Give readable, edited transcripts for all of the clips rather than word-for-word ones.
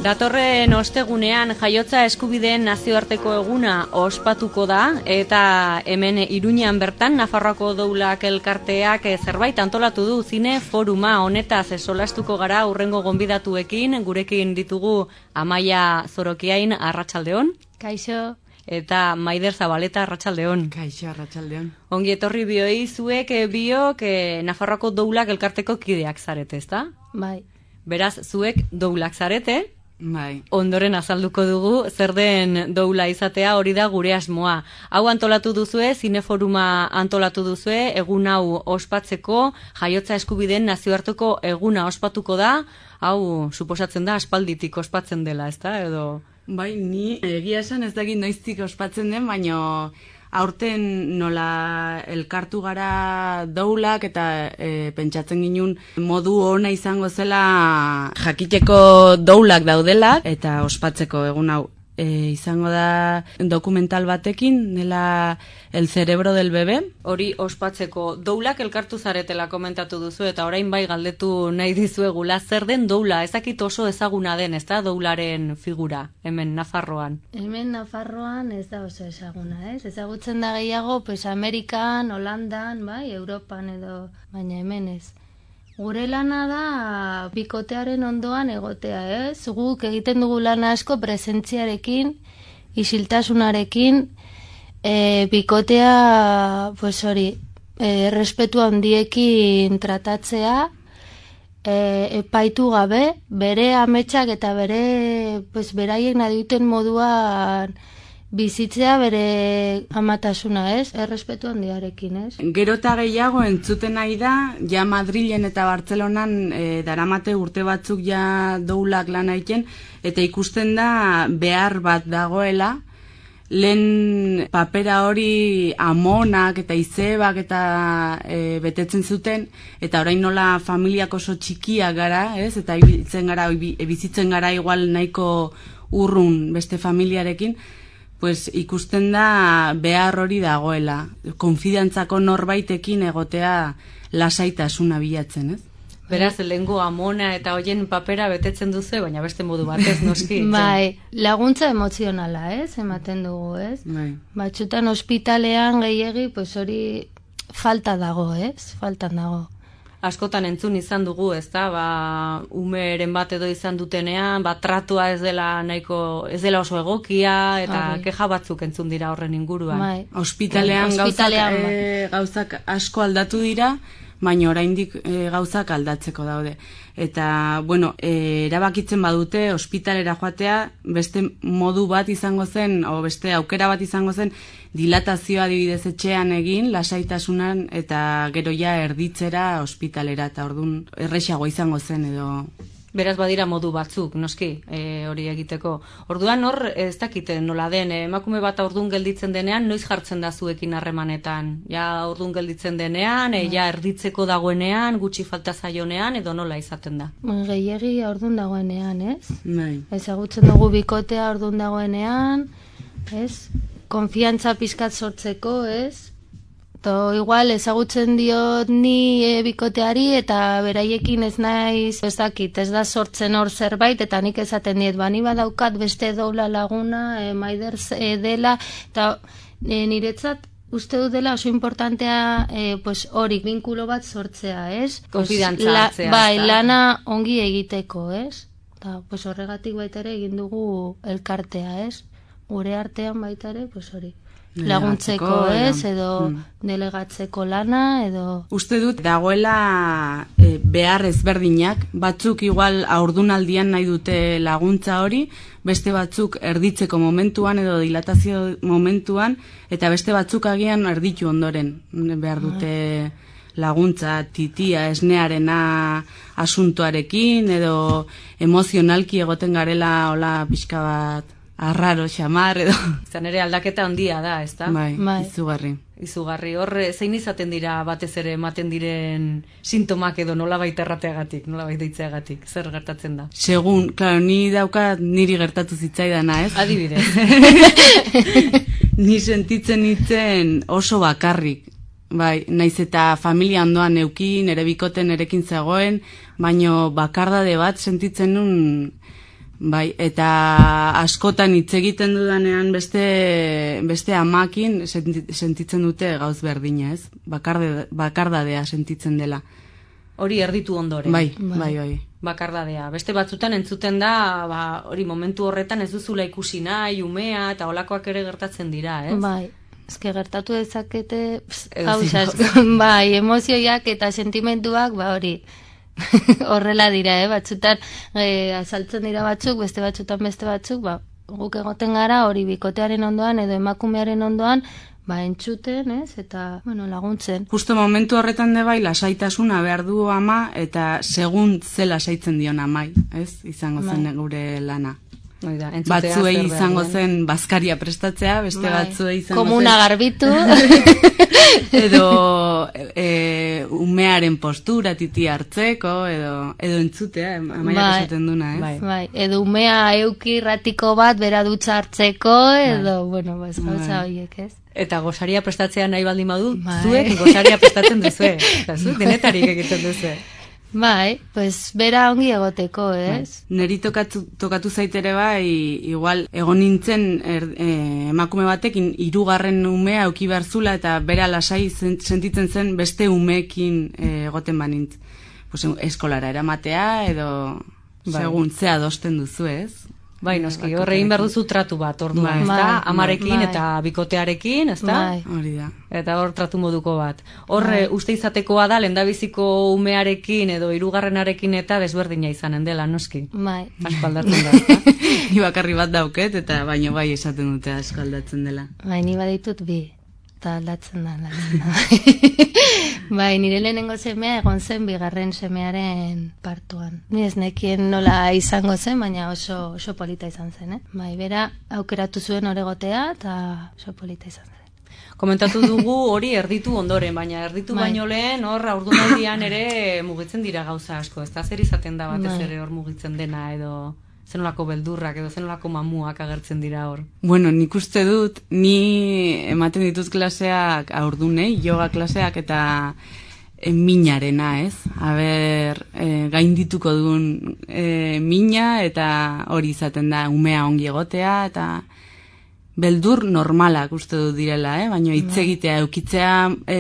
Datorren ostegunean jaiotza eskubideen nazioarteko eguna ospatuko da eta hemen Iruñean bertan Nafarroako Doulak elkarteak zerbait antolatu du zine foruma honetaz solastuko gara hurrengo gonbidatuekin, gurekin ditugu Amaia Zorokiain, arratsaldeon. Kaixo. Eta Maider Zabaleta, arratsaldeon. Kaixo, arratsaldeon. Ongi etorri bioi, zuek biok Nafarroako Doulak elkarteko kideak zarete, ezta? Bai. Beraz, zuek Doulak zarete. Bai. Ondoren azalduko dugu zer den doula izatea, hori da gure asmoa. Hau antolatu duzue, zineforuma antolatu duzue, egun hau ospatzeko, jaiotza eskubideen nazioarteko eguna ospatuko da, hau suposatzen da aspalditik ospatzen dela, ezta? Edo Bai, ni egia esan ez dakit noiztik ospatzen den, baino aurten nola elkartu gara doulak eta pentsatzen ginun modu ona izango zela jakiteko doulak daudela eta ospatzeko egun hau. Izango da dokumental batekin, dela El cerebro del bebé. Hori ospatzeko doulak elkartu zaretela komentatu duzu eta orain bai galdetu nahi dizuegula zer den doula, ezakit oso ezaguna den, ezta doularen figura hemen Nafarroan. Hemen Nafarroan ez da oso ezaguna, ez? Ezagutzen da gehiago, pues Amerikan, Holandan, bai, Europan edo, baina hemen ez. Gure lana da bikotearen ondoan egotea, ez? Guk egiten dugu lana asko presentziarekin, isiltasunarekin, bikotea, pues hori, respetu handiekin tratatzea, epaitu gabe, bere ametsak eta bere, pues beraiek nahi duten moduan bizitzea bere amatasuna, ez? Errespetu handiarekin, ez? Gero eta gehiago entzuten nahi da, ja Madrilen eta Bartzelonan daramate urte batzuk ja doulak lan egiten, eta ikusten da behar bat dagoela, lehen papera hori amonak eta izebak eta betetzen zuten, eta orain nola familiak oso txikiak gara, ez? Eta bizitzen gara igual nahiko urrun beste familiarekin, pues ikusten da behar hori dagoela, konfidantzako norbaitekin egotea lasaitasuna bilatzen, ez? Beraz, lehengo amona eta hoien papera betetzen duzu, baina beste modu batez noski. Bai, laguntza emozionala, ez? Ematen dugu, ez? Bai. Batzutan ospitalean gehiegi, pues hori falta dago, ez? Faltan dago. Askotan entzun izan dugu, ezta? Umeren bat edo izan dutenean, tratua ez dela nahiko, ez dela oso egokia eta keja batzuk entzun dira horren inguruan. Bai. Ospitalean gauzak asko aldatu dira, baina oraindik gauzak aldatzeko daude. Eta, bueno, erabakitzen badute ospitalera joatea beste modu bat izango zen, o beste aukera bat izango zen, dilatazioa adibidez etxean egin, lasaitasunan, eta gero ja erditzera ospitalera, eta orduan erresago izango zen edo. Beraz badira modu batzuk, noski, hori egiteko. Orduan hor, ez dakite nola den, emakume bat ordun gelditzen denean, noiz jartzen da zuekin harremanetan? Ja ordun gelditzen denean, ja erditzeko dagoenean, gutxi falta zaionean, edo nola izaten da? Gehiegi ordun dagoenean, ez? Bai. Ezagutzen dugu bikotea ordun dagoenean, ez? Konfiantza pizkat sortzeko, ez? To igual ezagutzen diot ni bikoteari eta beraiekin ez naiz, ez dakit, ez da sortzen hor zerbait eta nik esaten diet, bani badaukat beste doula laguna, Maider dela, eta niretzat uste dut dela oso importantea pues hori binkulo bat sortzea, ez? Konfidantza hartzea. Bai, lana ongi egiteko, ez? Eta pues horregatik baita ere egin dugu elkartea, ez? Gure artean baita ere, pues hori. Laguntzeko, ez, edo delegatzeko lana, edo. Uste dut dagoela behar ezberdinak, batzuk igual haurdunaldian nahi dute laguntza hori, beste batzuk erditzeko momentuan edo dilatazio momentuan, eta beste batzuk agian erditu ondoren behar dute laguntza, titia, esnearena asuntoarekin, edo emozionalki egoten garela hola pixka bat arraro, xamar, edo. Izan ere aldaketa handia da, ezta? Bai, izugarri. Izugarri, hor, zein izaten dira batez ere ematen diren sintomak edo nolabait errateagatik, nolabait deitzeagatik, zer gertatzen da? Segun, claro, ni daukat niri gertatu zitzaidana, ez? Adibidez. Ni sentitzen nitzen oso bakarrik. Bai, naiz eta familia ondoan neukin, ere bikoten erekin zegoen, baino bakardade bat sentitzen nun Bai, eta askotan hitz egiten dudanean beste amakin sentitzen dute gauz berdina, ez? Bakardadea sentitzen dela. Hori erditu ondoren. Bai. Bakardadea. Beste batzutan entzuten da, hori momentu horretan ez duzula ikusi nahi, umea, eta holakoak ere gertatzen dira, ez? Bai. Eske gertatu dezakete gauza bai, emozioiak eta sentimenduak, hori horrela dira, batzutan azaltzen dira batzuk, beste batzutan beste batzuk, guk egoten gara hori bikotearen ondoan edo emakumearen ondoan, entzuten, ez, eta, laguntzen. Justo momentu horretan bai lasaitasuna behar du ama, eta segun ze lasaitzen dion amai, ez, izango zen gure lana. Batzuei izango zen bazkaria prestatzea, beste batzuei izango zen komuna garbitu edo umearen postura titi hartzeko edo entzutea, amaiak esaten duna, ez? Bai, edo umea euki ratiko bat bera dutxa hartzeko edo, gauza horiek, ez? Eta gosaria prestatzea nahi baldin badu, zuek gosaria prestatzen duzue, eta zuek denetarik egiten duzue. Bai, bera ongi egoteko, ez? Neri tokatu zaitere bai, igual, egon nintzen emakume batekin 3. umea auki behar zula eta bera lasai sentitzen zen beste umeekin egoten banintz. Eskolara eramatea edo segun ze adosten duzu, ez? Bai, noski, horrein behar duzu tratu bat, orduan, ezta? Amarekin eta bikotearekin, ezta? Hori da. Eta hor tratu moduko bat. Horre, uste izatekoa da, lehendabiziko umearekin edo 3. eta desberdina izanen dela, noski? Bai. Asko aldatzen da, ezta? Ni bakarri bat dauket, eta baino bai esaten dute asko aldatzen dela. Bai, ni baditut bi, eta aldatzen da. Bai, nire lehenengo semea egon zen 2. semearen partuan. Ni ez nekien nola izango zen, baina oso polita izan zen, Bai, bera aukeratu zuen oregotea eta oso polita izan zen. Komentatu dugu hori erditu ondoren, baina erditu baino lehen hor haurdunaldian ere mugitzen dira gauza asko, ez da zer izaten da batez ere hor mugitzen dena edo zenolako beldurrak edo zenolako mamuak agertzen dira hor. Bueno, nik uste dut, ni ematen ditut klaseak haurdunei, yoga klaseak eta minarena, ez? Aber, gaindituko duen mina eta hori izaten da umea ongi egotea eta beldur normalak uste dut direla, baina hitz egitea, eukitzea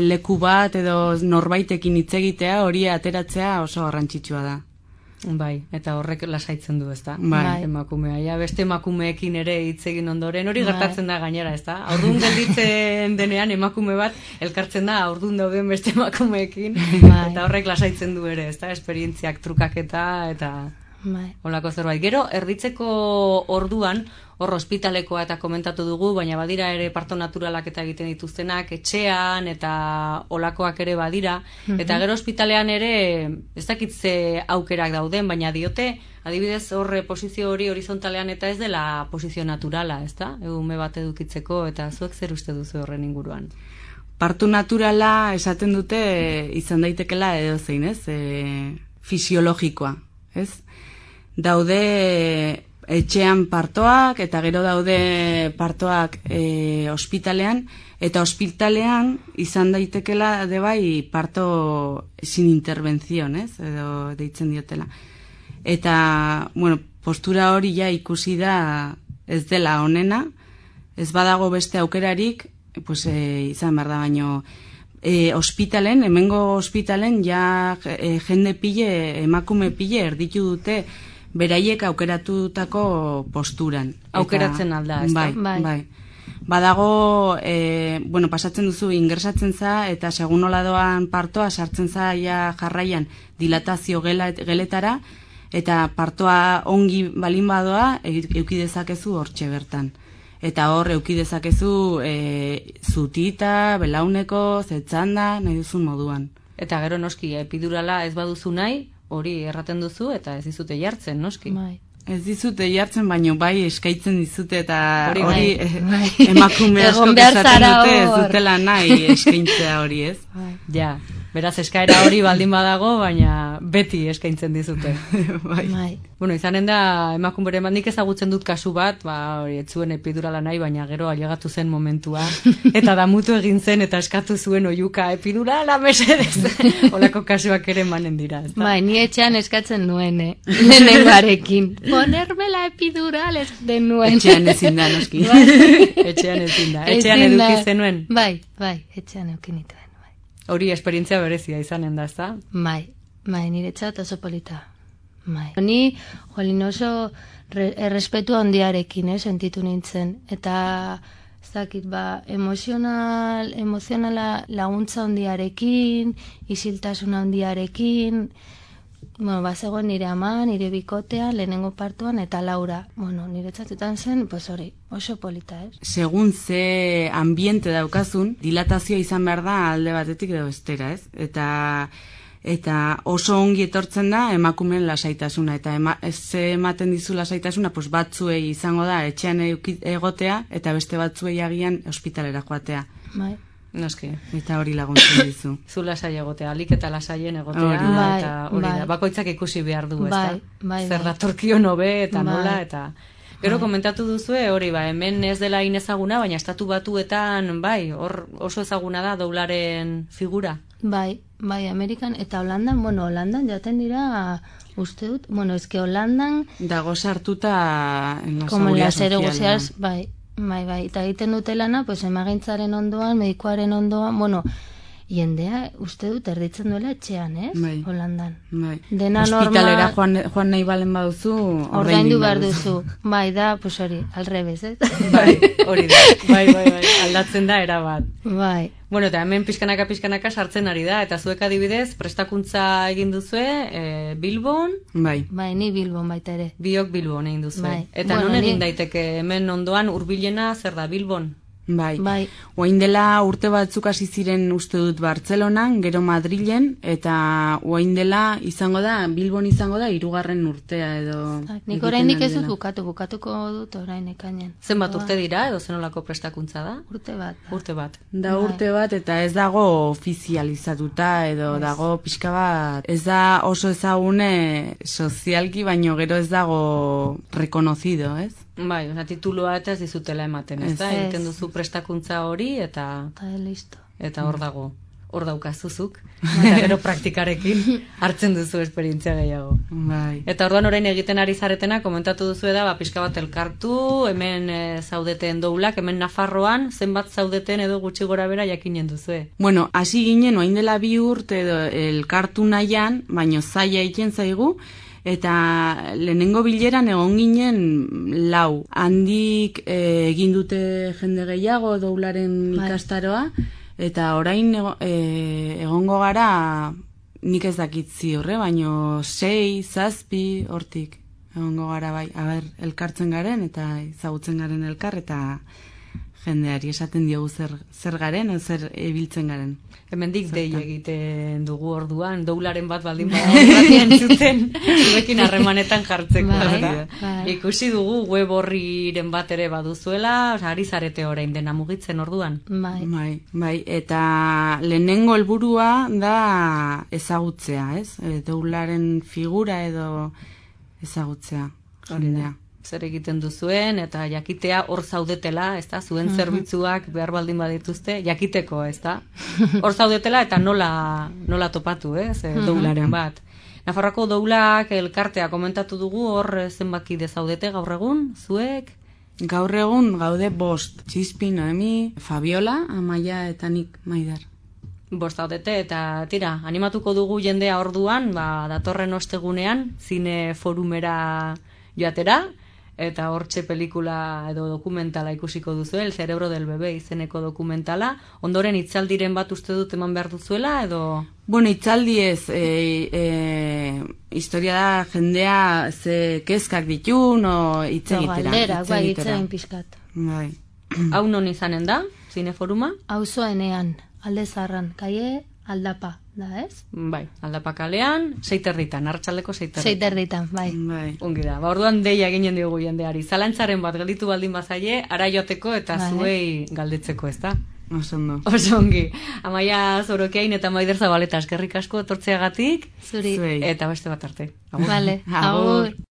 leku bat edo norbaitekin hitz egitea hori ateratzea oso garrantzitsua da. Bai, eta horrek lasaitzen du, ezta? Bai. Emakumea, beste emakumeekin ere hitz egin ondoren, hori gertatzen da gainera, ezta? Haurdun gelditzen denean emakume bat elkartzen da haurdun dauden beste emakumeekin, eta horrek lasaitzen du ere, ezta? Esperientziak trukaketa eta holako zerbait. Gero, erditzeko orduan, hor ospitalekoa eta komentatu dugu, baina badira ere parto naturalak eta egiten dituztenak, etxean eta olakoak ere badira, eta gero ospitalean ere ez dakitze aukerak dauden, baina diote, adibidez horre posizio hori horizontalean eta ez dela posizio naturala, ezta? Ume bat edukitzeko, eta zuek zer uste duzu horren inguruan? Parto naturala esaten dute izan daitekela edo zein, ez? Fisiologikoa, ez? Daude etxean partoak eta gero daude partoak ospitalean, eta ospitalean izan daitekela de bai parto sin intervención, ez? Edo deitzen diotela. Eta, bueno, postura hori ja ikusi da ez dela onena, ez badago beste aukerarik, pues izan behar da, baino ospitalen, hemengo ospitalen ja jende pile, emakume pile erditu dute beraiek aukeratutako posturan. Aukeratzen alda, ez da? Bai. Badago, bueno, pasatzen duzu ingresatzen za, eta segun nola doan partoa sartzen za ja jarraian dilatazio geletara, eta partoa ongi balin badoa euki dezakezu hortxe bertan. Eta hor euki dezakezu zutita, belauneko, zetzanda, nahi duzun moduan. Eta gero noski, epidurala ez baduzu nahi, hori erraten duzu eta ez dizute jartzen, noski? Bai. Ez dizute jartzen, baino bai eskaintzen dizute eta hori emakume asko esaten dute ez dutela nahi eskaintzea hori, ez? Ja. Beraz, eskaera hori baldin badago, baina beti eskaintzen dizute. Bai. Bueno, izanen da, emakumbere nik ezagutzen dut kasu bat, hori, ez zuen epidurala nahi, baina gero ailegatu zen momentua, eta damutu egin zen, eta eskatu zuen oiuka epidurala, mesedez. Olako kasuak ere emanen dira. Bai, ni etxean eskatzen nuen, lehenengoarekin. Ponerme la epidural ez den nuen. Etxean ezin da, noski. Etxean ezin da. Etxean eduki zenuen? Bai, etxean eduki nituen. Hori esperientzia berezia izanen da, ezta? Bai, niretzat oso polita. Bai. Ni, jolin oso errespetu handiarekin, sentitu nintzen. Eta, ez dakit, emozionala laguntza handiarekin, isiltasuna handiarekin, bazegoen nire ama, nire bikotea, lehenengo partuan, eta Laura. Niretzatutan zen, hori, oso polita, Segun ze ambiente daukazun, dilatazioa izan behar da alde batetik edo bestera, Eta oso ongi etortzen da emakumeen lasaitasuna. Eta ematen dizu lasaitasuna, batzuei izango da etxean egotea, eta beste batzuei agian ospitalera joatea. Bai. Noski. Eta hori laguntzen dizu. Zu lasai egotea, alik eta lasaien egotea, eta hori da. Bakoitzak ikusi behar du, ezta? Zer datorkion hobe, eta nola, eta... Gero komentatu duzue, hori, hemen ez dela inezaguna, baina estatu batuetan, hor oso ezaguna da doularen figura. Bai, Amerikan, eta Holandan, Holandan jaten dira, uste dut, eske Holandan... Dago sartuta en la como seguridad social. Seguridad, bai, eta egiten dute lana, emagintzaren ondoan, medikoaren ondoan, jendea, uste dut, erditzen duela etxean, Holandan. Bai. Dena hospitalera joan nahi balen baduzu, ordaindu behar duzu. Bai, da, hori, alrebez, Bai, hori da. Bai, aldatzen da erabat. Bai. Bueno, eta hemen pixkanaka sartzen ari da, eta zuek adibidez, prestakuntza egin duzue, Bilbon? Bai. Bai, ni Bilbon baita ere. Biok Bilbon egin duzue. Bai. Eta non egin daiteke hemen ondoan hurbilena zer da Bilbon? Bai. Oain dela urte batzuk hasi ziren uste dut Bartzelonan, gero Madrilen, eta oain dela Bilbon izango da 3. urtea edo... Nik orainik ez dut bukatuko dut orain ekainen. Zenbat urte dira edo zenolako prestakuntza da? Urte bat. Da urte bat eta ez dago ofizializatuta edo dago pixka bat. Ez da oso ezagune sozialki, baino gero ez dago reconocido, ez? Bai, tituloa eta ez dizutela ematen, ez da? Egiten duzu prestakuntza hori eta hor dago. Hor daukazuzuk, eta gero praktikarekin hartzen duzu esperientzia gehiago. Bai. Eta orduan orain egiten ari zaretena, komentatu duzu pixka bat elkartu, hemen zaudeten doulak, hemen Nafarroan, zenbat zaudeten edo gutxi gora bera jakinen duzu. Bueno, hasi ginen, oain dela 2 urte edo elkartu nahian, baino zaila egiten zaigu, eta lehenengo bileran egon ginen 4. Handik egin dute jende gehiago doularen ikastaroa, eta orain egongo gara nik ez dakit ziurre, baino 6, 7 hortik egongo gara bai. Elkartzen garen eta ezagutzen garen elkar, eta jendeari esaten diogu zer garen, zer ebiltzen garen. Hemendik dei egiten dugu orduan, doularen bat baldin bada entzuten, zuekin harremanetan jartzeko. Ikusi dugu web horriren bat ere baduzuela, ari zarete orain dena mugitzen orduan. Bai, eta lehenengo helburua da ezagutzea, ez? Doularen figura edo ezagutzea. Hori da. Zer egiten duzuen, eta jakitea hor zaudetela, ez da, zuen zerbitzuak behar baldin badituzte, jakiteko, ez da. Hor zaudetela eta nola topatu, doularen bat. Nafarroako doulak elkartea komentatu dugu, hor zenbakide zaudete gaur egun, zuek? Gaur egun gaude 5, Txispi, Noemi, Fabiola, Amaia eta nik Maidar. 5 zaudete, eta tira, animatuko dugu jendea orduan, datorren ostegunean, zine forumera joatera, eta hortxe pelikula edo dokumentala ikusiko duzu, El cerebro del bebé izeneko dokumentala. Ondoren itzaldiren bat uste dut eman behar duzuela, edo... Bueno, itzaldi ez, historia da jendea ze kezkak ditun, o itzegitera. Galdera, itzein pixkat. Bai. Hau non izanen da, zineforuma? Auzoenean, Alde Zaharran, kaie Aldapa. Da, ez? Bai, Aldapa kalean, 6:30, arratsaldeko 6:30. 6:30, bai. Ongi da, orduan deia eginen diogu jendeari. Zalantzaren bat gelditu baldin bazaie, ara joateko eta zuei galdetzeko, ez da? Oso ondo. Oso ongi. Amaia Zorokiain eta Maider Zabaleta eskerrik asko etortzeagatik. Zuri. Zuei. Eta beste bat arte. Agur. Vale, Agur. agur.